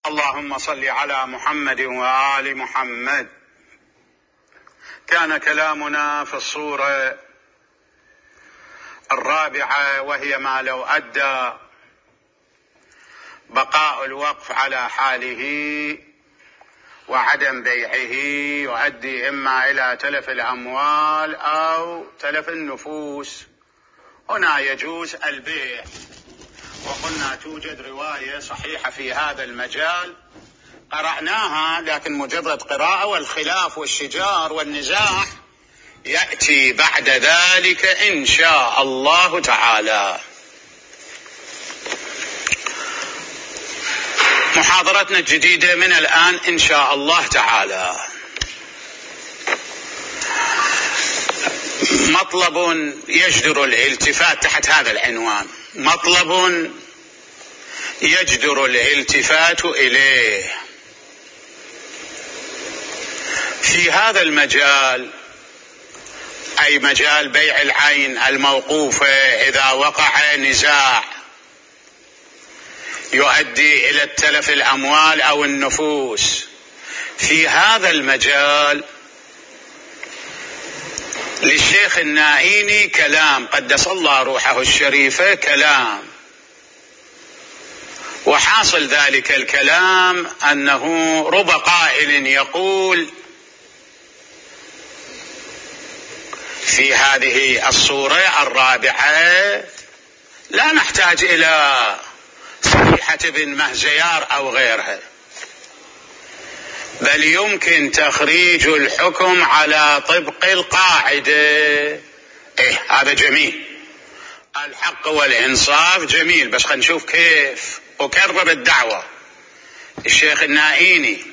اللهم صل على محمد وآل محمد. كان كلامنا في الصورة الرابعة، وهي ما لو أدى بقاء الوقف على حاله وعدم بيعه يؤدي إما إلى تلف الأموال أو تلف النفوس. هنا يجوز البيع، وقلنا توجد رواية صحيحة في هذا المجال قرأناها، لكن مجرد قراءة، والخلاف والشجار والنزاع يأتي بعد ذلك إن شاء الله تعالى. محاضرتنا الجديدة من الآن إن شاء الله تعالى. مطلب يجدر الالتفات تحت هذا العنوان، مطلب يجدر الالتفات إليه في هذا المجال، أي مجال بيع العين الموقوفة. إذا وقع نزاع يؤدي إلى التلف الأموال أو النفوس، في هذا المجال للشيخ النائيني كلام قدس الله روحه الشريفة، كلام، وحاصل ذلك الكلام أنه رب قائل يقول في هذه الصورة الرابعة لا نحتاج إلى صحيحة ابن مهزيار أو غيرها، بل يمكن تخريج الحكم على طبق القاعدة. هذا جميل، الحق والإنصاف جميل، بس خلينا نشوف كيف. أكرر الدعوة. الشيخ النائيني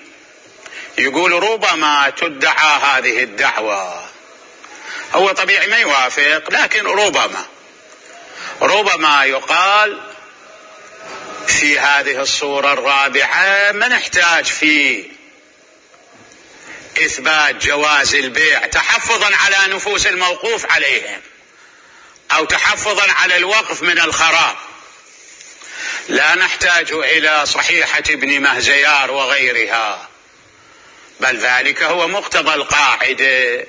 يقول ربما تدعى هذه الدعوة، هو طبيعي ما يوافق، لكن ربما يقال في هذه الصورة الرابعة ما نحتاج في إثبات جواز البيع تحفظا على نفوس الموقوف عليهم أو تحفظا على الوقف من الخراب، لا نحتاج إلى صحيحة ابن مهزيار وغيرها، بل ذلك هو مقتضى القاعدة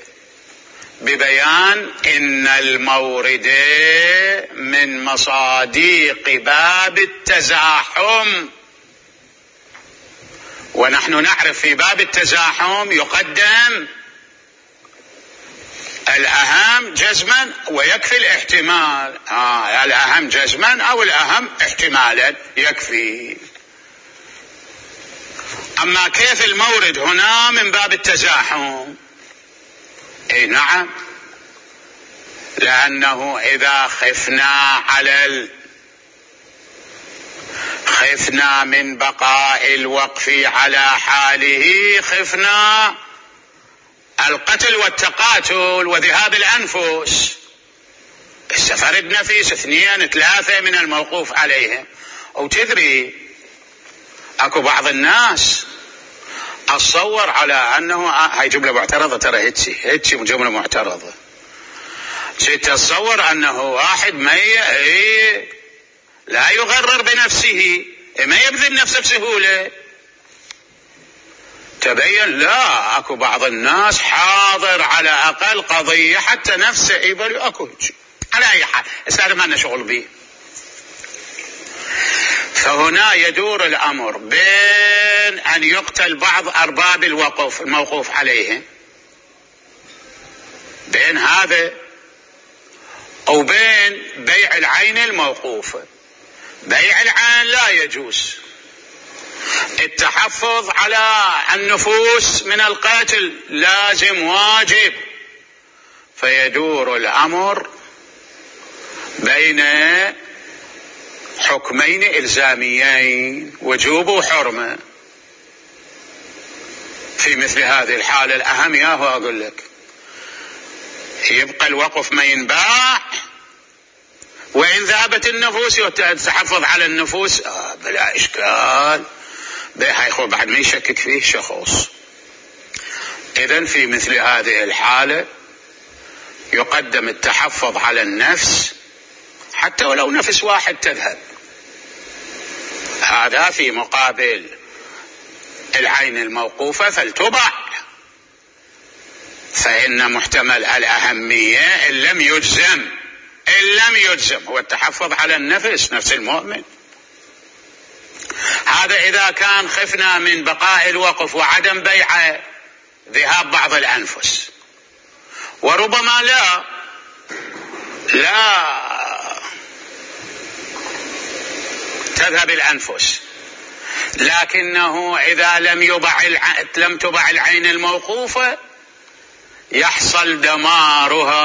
ببيان إن المورد من مصاديق باب التزاحم، ونحن نعرف في باب التزاحم يقدم الأهم جزما ويكفي الاحتمال. الأهم جزما أو الأهم احتمالا يكفي. أما كيف المورد هنا من باب التزاحم؟ نعم، لأنه إذا خفنا من بقاء الوقف على حاله، خفنا القتل والتقاتل وذهاب الأنفس. فرد نفيس 2 3 من الموقوف عليهم. أو تدري أكو بعض الناس أتصور على أنه هاي جملة معترضة، ترى هيتشي جملة معترضة، تتصور أنه واحد لا يغرر بنفسه، ما يبذل نفسه بسهولة. تبين لا، أكو بعض الناس حاضر على أقل قضية حتى نفسه يبل أكو على أي حال، هذا ما لنا شغل به. فهنا يدور الأمر بين أن يقتل بعض أرباب الوقف الموقوف عليهم، بين هذا أو بين بيع العين الموقوفة. بيع العين لا يجوز، التحفظ على النفوس من القتل لازم واجب. فيدور الأمر بين حكمين إلزاميين، وجوب وحرمة. في مثل هذه الحالة الأهم ياهو أقول لك يبقى الوقف ما ينباع، وإن ذهبت النفوس يتحفظ على النفوس بلا إشكال، هيخو بعد ما يشكك فيه شخص. إذن في مثل هذه الحالة يقدم التحفظ على النفس حتى ولو نفس واحد تذهب، هذا في مقابل العين الموقوفة فلتباع، فإن محتمل الأهمية إن لم يجزم هو التحفظ على النفس، نفس المؤمن. هذا إذا كان خفنا من بقاء الوقف وعدم بيعه ذهاب بعض الأنفس، وربما لا تذهب الأنفس، لكنه إذا لم تبع العين الموقوفة يحصل دمارها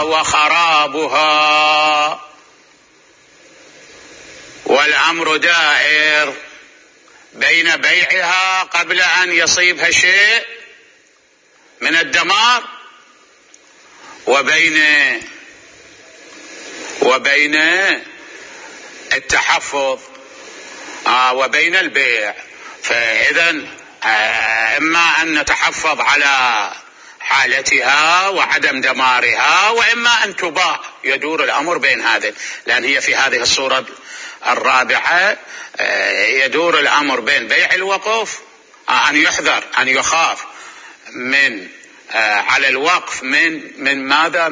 وخرابها، والأمر دائر بين بيعها قبل أن يصيبها شيء من الدمار وبين التحفظ وبين البيع. فإذا إما أن نتحفظ على حالتها وعدم دمارها، وإما أن تباع. يدور الأمر بين هذا، لأن هي في هذه الصورة الرابعة يدور الأمر بين بيع الوقف، أن يحذر، أن يخاف من على الوقف من ماذا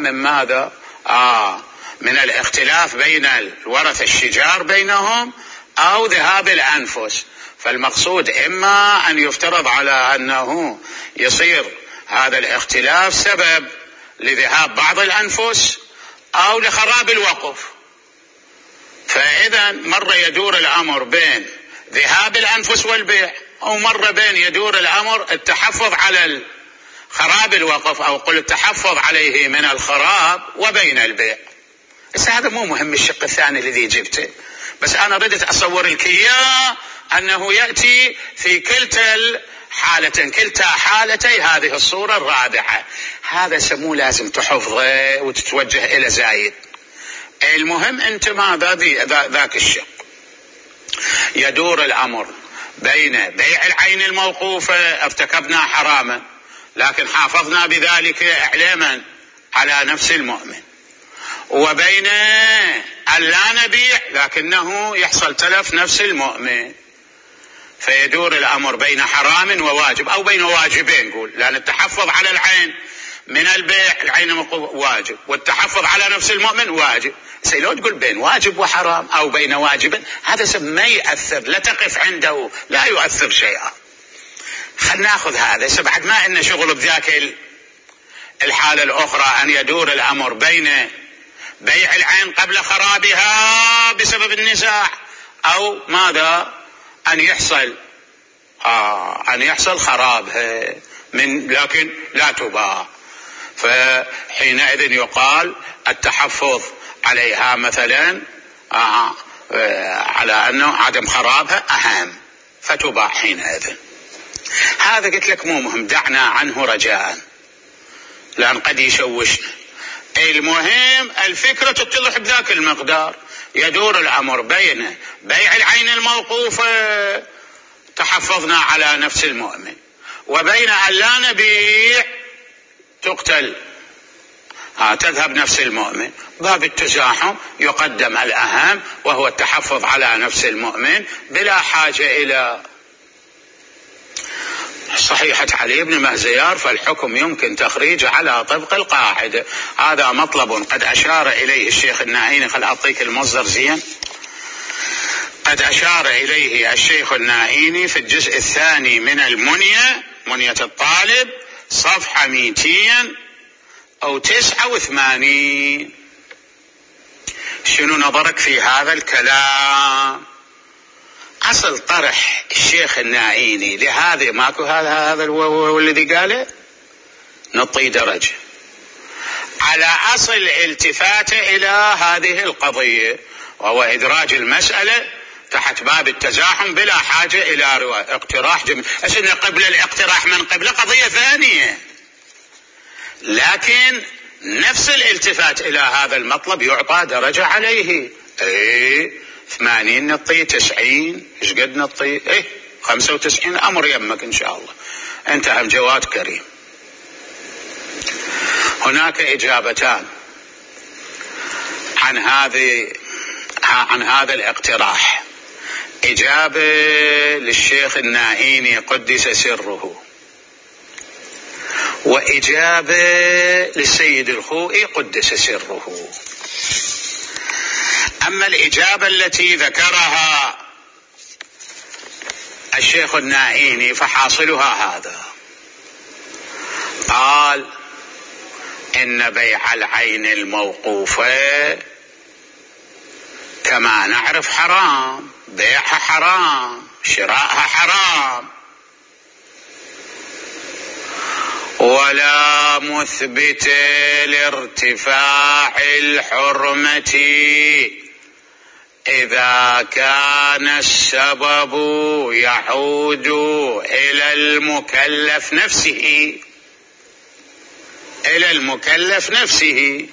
من الاختلاف بين الورثة الشجار بينهم أو ذهاب الأنفس. فالمقصود إما أن يفترض على أنه يصير هذا الاختلاف سبب لذهاب بعض الأنفس أو لخراب الوقف. فإذا مرة يدور الأمر بين ذهاب الأنفس والبيع، أو مرة بين يدور الأمر التحفظ على خراب الوقف، أو قل التحفظ عليه من الخراب وبين البيع. بس هذا مو مهم الشق الثاني الذي جبته، بس أنا ردت أصور لك إياه أنه يأتي في كلتا حالتي هذه الصورة الرابعة. هذا سموه لازم تحفظه وتتوجه إلى زايد. المهم أنت ماذا ذاك الشق. يدور الأمر بين بيع العين الموقوفة، ارتكبنا حراما لكن حافظنا بذلك إعلاما على نفس المؤمن، وبين أن لا نبيع لكنه يحصل تلف نفس المؤمن. فيدور الأمر بين حرام وواجب، أو بين واجبين نقول، لأن التحفظ على العين من البيع العين الموقوفة واجب، والتحفظ على نفس المؤمن واجب. لو تقول بين واجب وحرام أو بين واجب، هذا ما يؤثر، لا تقف عنده، لا يؤثر شيئا. خلنا ناخذ هذا بعد ما إن شغل بذاك الحالة الأخرى، أن يدور الأمر بين بيع العين قبل خرابها بسبب النزاع، أو ماذا أن يحصل خرابها لكن لا تباع. فحينئذ يقال التحفظ عليها مثلا على أنه عدم خرابها أهم، فتباع حينئذ. هذا قلت لك مو مهم، دعنا عنه رجاء لأن قد يشوشنا. المهم الفكرة تتضح بذاك المقدار. يدور الأمر بين بيع العين الموقوفة، تحفظنا على نفس المؤمن، وبين أن لا نبيع تقتل تذهب نفس المؤمن. باب التزاحم يقدم الأهم، وهو التحفظ على نفس المؤمن بلا حاجة إلى صحيحة علي بن مهزيار، فالحكم يمكن تخريجه على طبق القاعدة. هذا مطلب قد أشار إليه الشيخ النائيني. خل أعطيك المصدر زين. قد أشار إليه الشيخ النائيني في الجزء الثاني من منية الطالب، صفحة 289. شنو نظرك في هذا الكلام؟ أصل طرح الشيخ النائيني لهذا ماكو، هذا هو الذي قاله، نطي درجة على أصل الالتفات إلى هذه القضية، وهو إدراج المسألة تحت باب التزاحم بلا حاجة إلى اقتراح أسألنا قبل الاقتراح من قبل قضية ثانية، لكن نفس الالتفات إلى هذا المطلب يعطى درجة عليه. 80 نطي 90، ايش قد نطي 95. أمر يمك إن شاء الله. انتهى جواد كريم. هناك إجابتان عن هذا الاقتراح. إجابة للشيخ الشيخ النائيني قدس سره، وإجابة للسيد الخوئي قدس سره. أما الإجابة التي ذكرها الشيخ النائيني فحاصلها هذا: قال إن بيع العين الموقوفة كما نعرف حرام، بيعها حرام، شراءها حرام، ولا مثبت لارتفاع الحرمة إذا كان السبب يعود إلى المكلف نفسه،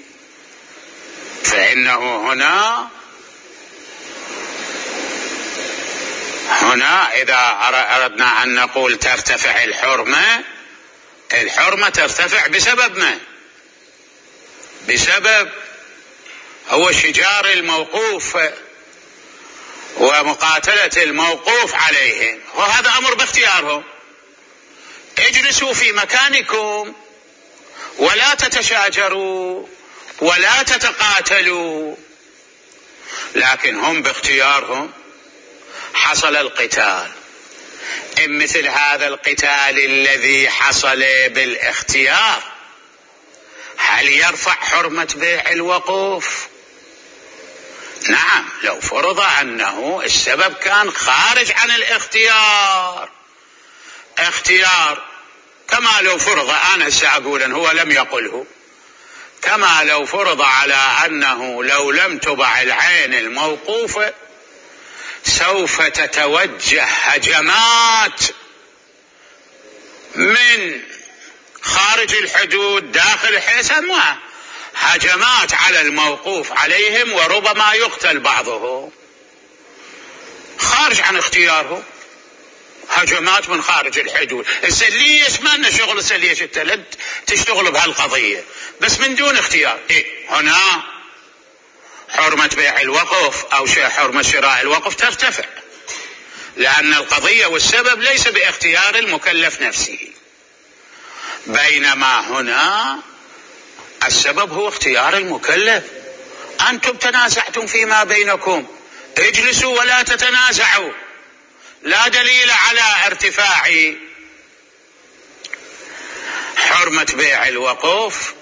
فإنه هنا إذا أردنا أن نقول ترتفع الحرمة ترتفع بسبب ما؟ بسبب هو شجار الموقوف ومقاتلة الموقوف عليهم، وهذا أمر باختيارهم. اجلسوا في مكانكم ولا تتشاجروا ولا تتقاتلوا، لكن هم باختيارهم حصل القتال. إن مثل هذا القتال الذي حصل بالاختيار هل يرفع حرمة بيع الوقوف؟ نعم، لو فرض أنه السبب كان خارج عن اختيار، كما لو فرض، أنا سأقول أن هو لم يقله، كما لو فرض على أنه لو لم تبع العين الموقوفة سوف تتوجه هجمات من خارج الحدود داخل الحسن، هجمات على الموقوف عليهم، وربما يقتل بعضهم خارج عن اختياره، هجمات من خارج الحدود. ليش ما لنا شغل؟ ليش انت تشتغل بهالقضية بس من دون اختيار؟ هنا حرمة بيع الوقف أو حرمة شراء الوقف ترتفع، لأن القضية والسبب ليس باختيار المكلف نفسه، بينما هنا السبب هو اختيار المكلف. أنتم تنازعتم فيما بينكم، اجلسوا ولا تتنازعوا، لا دليل على ارتفاع حرمة بيع الوقوف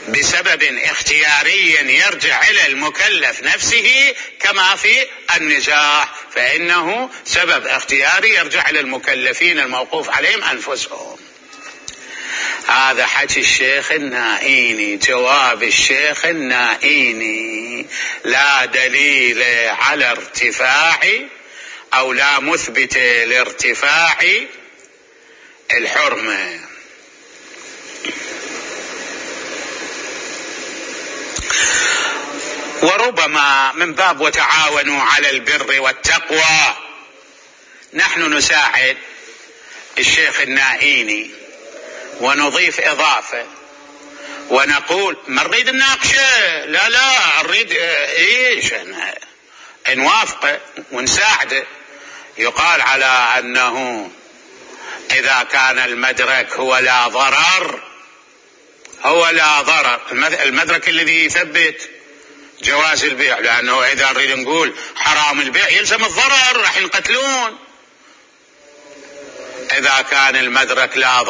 بسبب اختياري يرجع إلى المكلف نفسه كما في النزاع، فإنه سبب اختياري يرجع إلى المكلفين الموقوف عليهم أنفسهم. هذا حكي الشيخ النائيني، جواب الشيخ النائيني: لا دليل على ارتفاع أو لا مثبت لارتفاع الحرمة. وربما من باب وتعاونوا على البر والتقوى نحن نساعد الشيخ النائيني ونضيف إضافة ونقول ما نريد نناقشه، لا نريد نوافقه ونساعده. يقال على أنه إذا كان المدرك هو لا ضرر، المدرك الذي يثبت جواز البيع، لأنه إذا نريد نقول حرام البيع يلزم الضرر، راح ينقتلون. إذا كان المدرك لا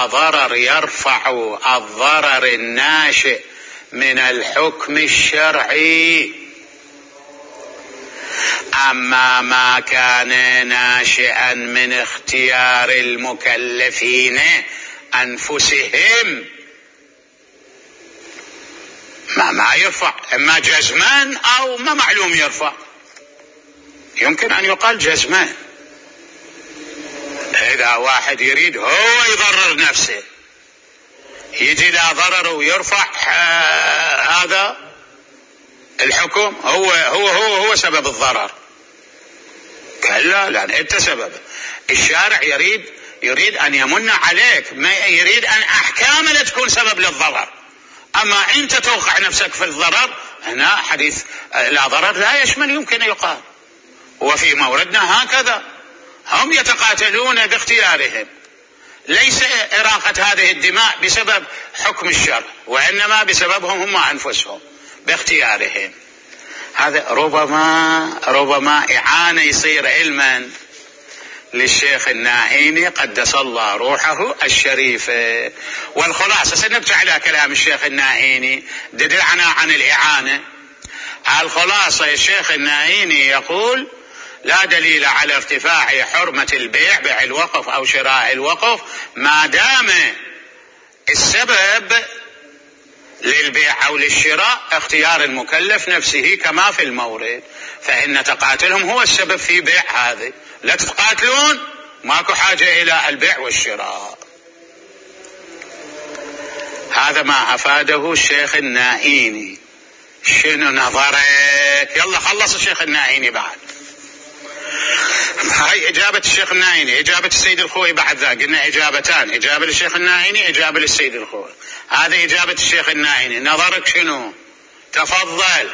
ضرر يرفع الضرر الناشئ من الحكم الشرعي. أما ما كان ناشئا من اختيار المكلفين أنفسهم ما يرفع، إما جزمان أو ما معلوم يرفع. يمكن أن يقال جزمان، إذا واحد يريد هو يضرر نفسه يجي لا ضرر ويرفع هذا الحكم، هو سبب الضرر. كلا، لأن أنت سبب. الشارع يريد أن يمن عليك، ما يريد أن أحكام لا تكون سبب للضرر. أما أنت توقع نفسك في الضرر، هنا حديث لا ضرر لا يشمل، يمكن يقال، وفي موردنا هكذا هم يتقاتلون باختيارهم، ليس إراقة هذه الدماء بسبب حكم الشرع، وإنما بسببهم هم أنفسهم باختيارهم. هذا ربما إعانة يصير علما للشيخ الناهيني قدس الله روحه الشريفة. والخلاصة سنرجع إلى كلام الشيخ الناهيني دلعنا عن الإعانة. الخلاصة الشيخ الناهيني يقول: لا دليل على ارتفاع حرمة البيع، بيع الوقف أو شراء الوقف، ما دام السبب للبيع أو للشراء اختيار المكلف نفسه كما في المورد، فإن تقاتلهم هو السبب في بيع هذه. لا تتقاتلون ماكو حاجة إلى البيع والشراء. هذا ما أفاده الشيخ الناهيني. شنو نظرك؟ يلا خلص الشيخ الناهيني بعد. هاي إجابة الشيخ الناهيني. إجابة السيد الخوئي بعد ذا قلنا إجابتان، إجابة للشيخ الناهيني، إجابة للسيد الخوئي. هذه إجابة الشيخ الناهيني. نظرك شنو؟ تفضل.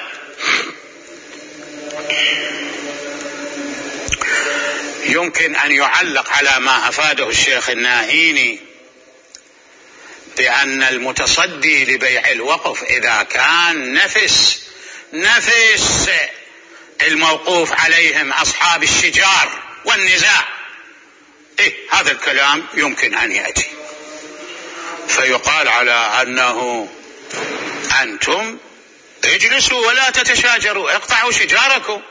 يمكن أن يعلق على ما أفاده الشيخ الناهيني بأن المتصدي لبيع الوقف إذا كان نفس الموقوف عليهم أصحاب الشجار والنزاع، هذا الكلام يمكن أن يأتي فيقال على أنه أنتم اجلسوا ولا تتشاجروا، اقطعوا شجاركم،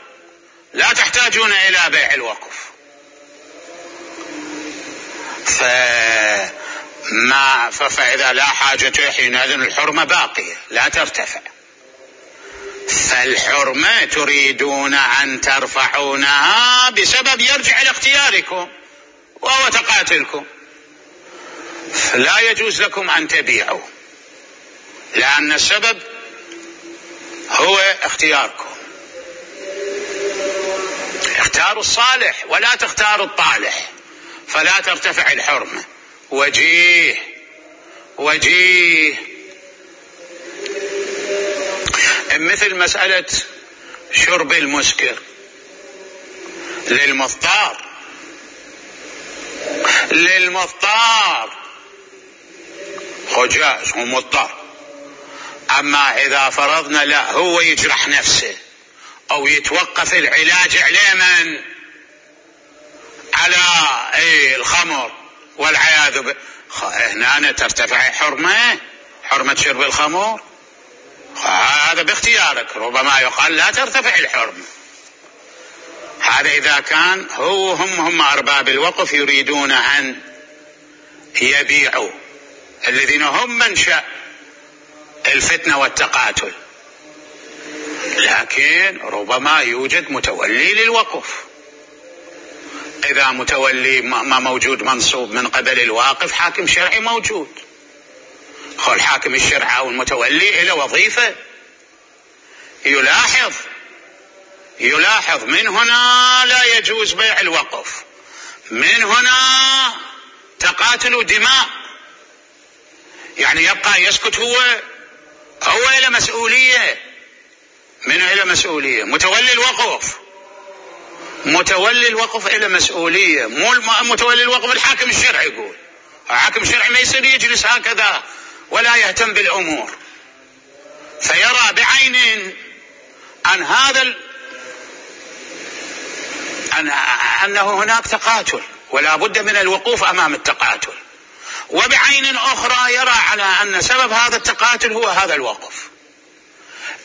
لا تحتاجون إلى بيع الوقف. فإذا لا حاجة حينئذ الحرمة باقية لا ترتفع. فالحرمة تريدون أن ترفعونها بسبب يرجع إلى اختياركم وهو تقاتلكم، فلا يجوز لكم أن تبيعوا لأن السبب هو اختياركم. اختاروا الصالح ولا تختاروا الطالح فلا ترتفع الحرمة. وجيه مثل مسألة شرب المسكر للمضطر جائز، هو مضطر. أما إذا فرضنا لا هو يجرح نفسه أو يتوقف العلاج عليه على الخمر والعياذ بالله، هنا ترتفع حرمة شرب الخمر. هذا باختيارك، ربما يقال لا ترتفع الحرمة. هذا إذا كان هم أرباب الوقف يريدون أن يبيعوا، الذين هم منشأ الفتنة والتقاتل. لكن ربما يوجد متولي للوقف. إذا متولي ما موجود منصوب من قبل الواقف، حاكم شرعي موجود، الحاكم الشرعي أو المتولي إلى وظيفة يلاحظ. من هنا لا يجوز بيع الوقف، من هنا تقاتل دماء، يعني يبقى يسكت هو إلى مسؤولية. من إلى مسؤولية؟ متولي الوقف إلى مسؤولية، مو متولي الوقف الحاكم الشرعي. يقول الحاكم الشرعي ما يصير يجلس هكذا ولا يهتم بالأمور، فيرى بعين أنه هناك تقاتل ولا بد من الوقوف أمام التقاتل، وبعين أخرى يرى على أن سبب هذا التقاتل هو هذا الوقف.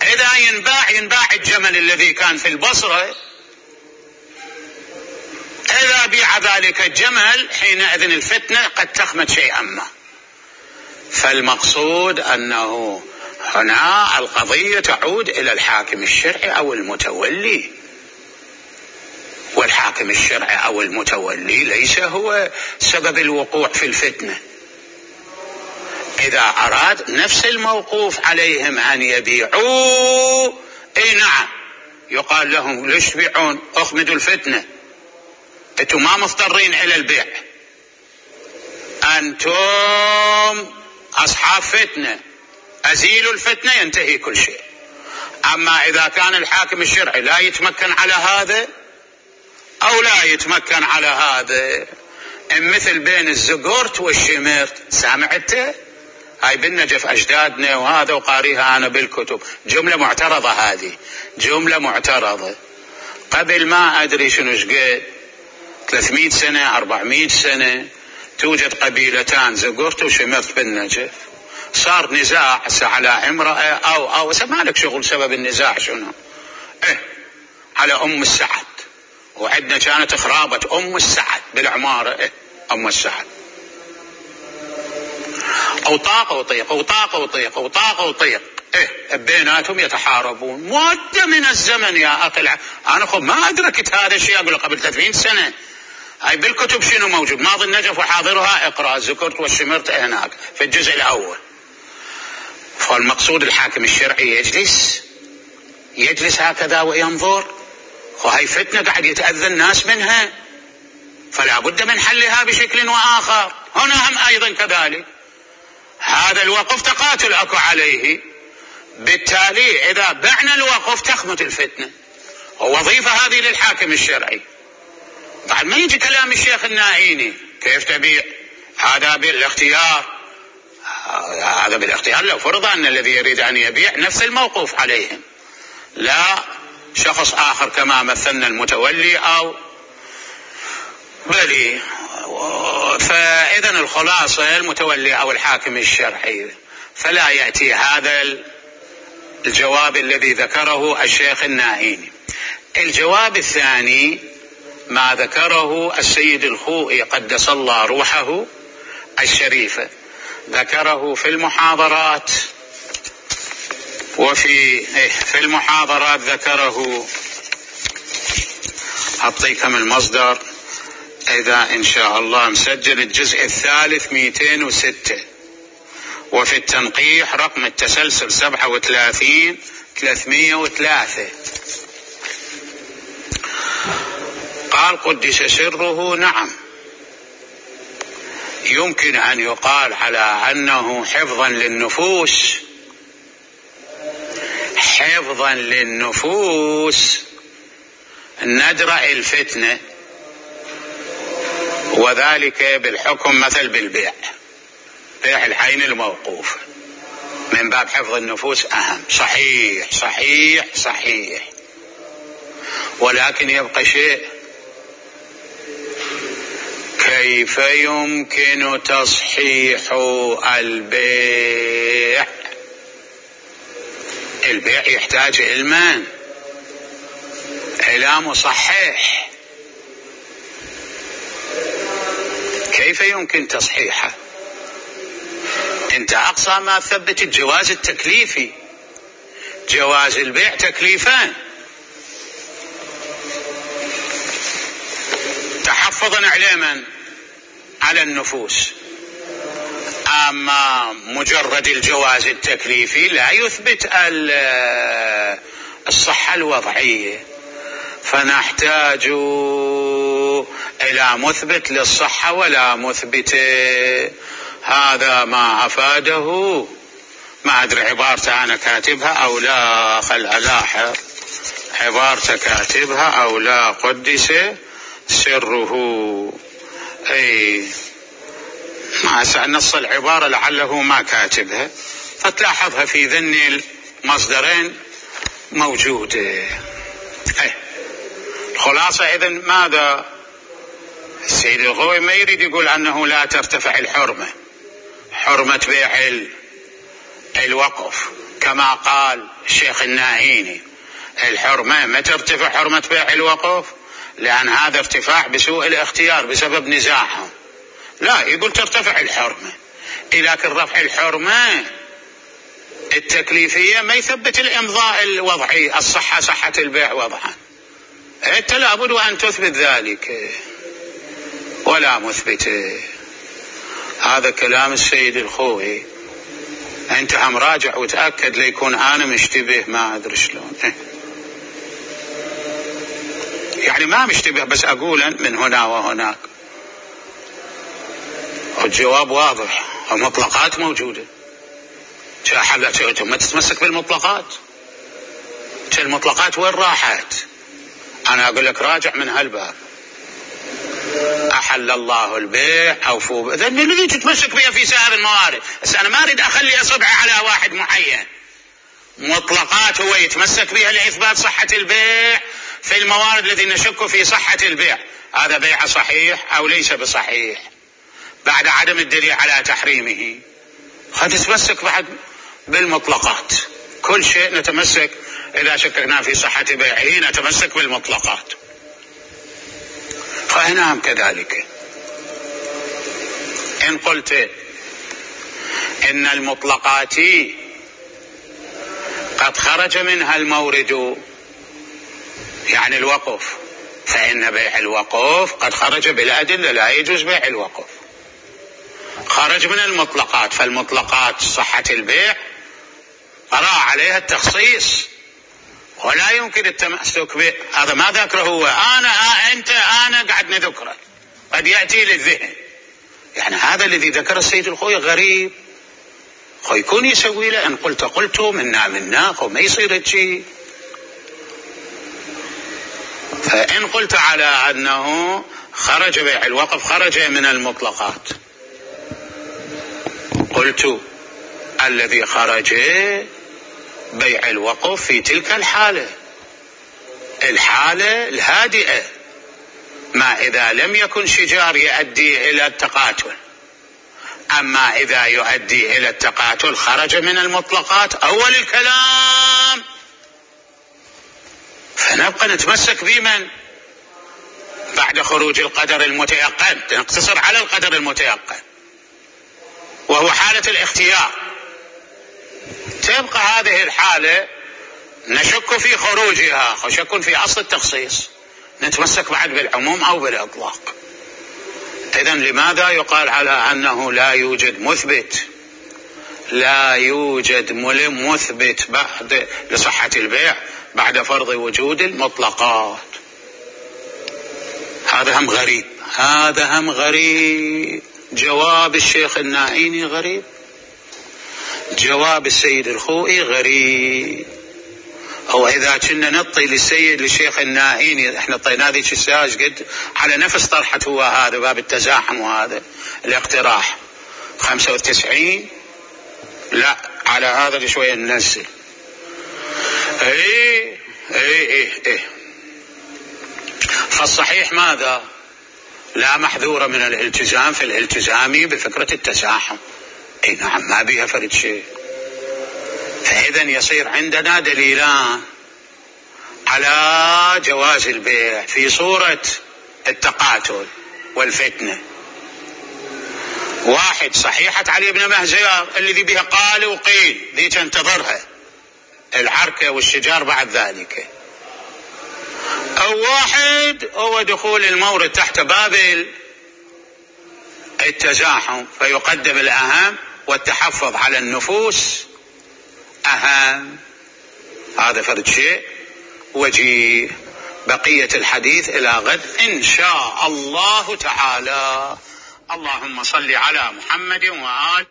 إذا ينباع الجمل الذي كان في البصرة، إذا بيع ذلك الجمل حينئذ الفتنة قد تخمد شيئا ما. فالمقصود أنه هنا القضية تعود إلى الحاكم الشرعي أو المتولي، والحاكم الشرعي أو المتولي ليس هو سبب الوقوع في الفتنة. إذا أراد نفس الموقوف عليهم أن يبيعوا، نعم، يقال لهم ليش تبيعون؟ أخمدوا الفتنة، أنتم ما مضطرين إلى البيع، أنتم أصحاب فتنة، أزيلوا الفتنة ينتهي كل شيء. أما إذا كان الحاكم الشرعي لا يتمكن على هذا، أو لا يتمكن على هذا. مثل بين الزقورت والشمرت، سامعته؟ هاي بالنجف أجدادنا، وهذا وقاريها أنا بالكتب. جملة معترضة، هذه جملة معترضة. قبل ما أدري شنو شقد 300 سنة 400 سنة توجد قبيلتان زقورت وشمرت بالنجف. صار نزاع على امرأة أو مالك شغل سبب النزاع شنو، على أم السعد، وعندنا كانت خرابة أم السعد بالعمارة، أم السعد، وطاق وطيق وطاق وطيق وطاق وطيق، بيناتهم يتحاربون مدة من الزمن يا أخي. أنا ما أدركت هذا الشيء، أقول قبل 30 سنة. هاي بالكتب شنو موجود؟ ماضي النجف وحاضرها، اقرأ زكرت والشمرت هناك في الجزء الأول. فالمقصود الحاكم الشرعي يجلس هكذا وينظر، وهي فتنة قاعد يتأذى الناس منها، فلا بد من حلها بشكل وآخر. هنا هم أيضا كذلك، هذا الوقف تقاتل أكو عليه، بالتالي إذا بعنا الوقف تخمت الفتنة، ووظيفة هذه للحاكم الشرعي. بعد ما يجي كلام الشيخ الناهيني كيف تبيع، هذا بالاختيار، هذا بالاختيار لو فرض أن الذي يريد أن يبيع نفس الموقوف عليهم، لا شخص آخر كما مثلنا المتولي أو بلي. فإذا الخلاصة المتولي أو الحاكم الشرعي. فلا يأتي هذا الجواب الذي ذكره الشيخ الناهيني. الجواب الثاني ما ذكره السيد الخوئي قدس الله روحه الشريفة، ذكره في المحاضرات، وفي المحاضرات ذكره، أعطيكم المصدر إذا إن شاء الله مسجل، الجزء الثالث 206، وفي التنقيح رقم التسلسل 37-303. قال قدس سره: نعم، يمكن أن يقال على أنه حفظا للنفوس ندرأ الفتنة، وذلك بالحكم مثل بالبيع، بيع العين الموقوف من باب حفظ النفوس أهم. صحيح صحيح صحيح، ولكن يبقى شيء: كيف يمكن تصحيح البيع؟ البيع يحتاج علما إلى مصحح، كيف يمكن تصحيحه؟ انت اقصى ما ثبت الجواز التكليفي، جواز البيع تكليفان: تحفظا علما على النفوس. اما مجرد الجواز التكليفي لا يثبت الصحة الوضعية، فنحتاج إلى مثبت للصحة ولا مثبت. هذا ما أفاده، ما أدري عبارته أنا كاتبها أو لا، خل ألاحظ عبارته كاتبها أو لا، قدس سره. ما نص العبارة لعله ما كاتبها، فتلاحظها في ذن المصدرين موجودة. الخلاصة إذن ماذا؟ السيد الخوئي ما يريد يقول أنه لا ترتفع الحرمة، حرمة بيع الوقف كما قال الشيخ الناهيني. الحرمة ما ترتفع حرمة بيع الوقف، لأن هذا ارتفاع بسوء الاختيار بسبب نزاعهم. لا، يقول ترتفع الحرمة، لكن رفع الحرمة التكليفية ما يثبت الإمضاء الوضعي، الصحة صحة البيع وضعا. أنت لابد أن تثبت ذلك ولا مثبت. هذا كلام السيد الخوئي. أنت هم راجع وتأكد ليكون أنا مشتبه، ما أدري شلون، يعني ما مشتبه بس أقولا من هنا وهناك. الجواب واضح، المطلقات موجودة. ما تتمسك بالمطلقات، المطلقات وين راحت؟ أنا أقول لك راجع من هالباب. أحل الله البيع أوفوا إذا الذي تتمسك بها في سائر الموارد. بس أنا ما أريد أخلي أصبعي على واحد معين. مطلقات هو يتمسك بها لإثبات صحة البيع في الموارد التي نشك في صحة البيع، هذا بيع صحيح أو ليس بصحيح بعد عدم الدليل على تحريمه. فتتمسك بعد بالمطلقات، كل شيء نتمسك إذا شككنا في صحة بيعه نتمسك بالمطلقات. فهنا هم كذلك. إن قلت إن المطلقات قد خرج منها المورد يعني الوقف، فإن بيع الوقف قد خرج بالأدلة، لا يجوز بيع الوقف، خرج من المطلقات. فالمطلقات صحة البيع قرأ عليها التخصيص ولا يمكن التمسك به. هذا ما ذكره هو، أنا قاعد نذكره، قد يأتي للذهن. يعني هذا الذي ذكر السيد الخوي غريب، خو يكون يسوي له إن قلت منا وما يصير شيء. فإن قلت على أنه خرج بيع الوقف خرج من المطلقات، قلت الذي خرج بيع الوقف في تلك الحالة الهادئة، ما إذا لم يكن شجار يؤدي إلى التقاتل. أما إذا يؤدي إلى التقاتل خرج من المطلقات أول الكلام. فنبقى نتمسك بمن بعد خروج القدر المتيقن، نقتصر على القدر المتيقن وهو حالة الاختيار. تبقى هذه الحالة نشك في خروجها، شك في أصل التخصيص، نتمسك بعد بالعموم أو بالإطلاق. إذن لماذا يقال على أنه لا يوجد مثبت بعد لصحة البيع بعد فرض وجود المطلقات؟ هذا هم غريب. جواب الشيخ النائيني غريب، جواب السيد الخوئي غريب. أو إذا كنا نطي للشيخ النائيني، احنا طينا ذيك الساعة قد على نفس طرحة هو هذا باب التزاحم وهذا الاقتراح 95، لا على هذا شوية ننزل. ايه فالصحيح ماذا؟ لا محذور من الالتزام في الالتزام بفكرة التزاحم. اي نعم، ما بها فرد شيء. فإذا يصير عندنا دليلان على جواز البيع في صورة التقاتل والفتنة. واحد صحيحة علي بن مهزيار الذي بها قال وقيل، ذي تنتظرها العركة والشجار بعد ذلك. أو واحد هو دخول المورد تحت باب التزاحم، فيقدم الأهم والتحفظ على النفوس أهم. هذا فرد شيء وجيه. بقية الحديث إلى غد إن شاء الله تعالى. اللهم صل على محمد وآل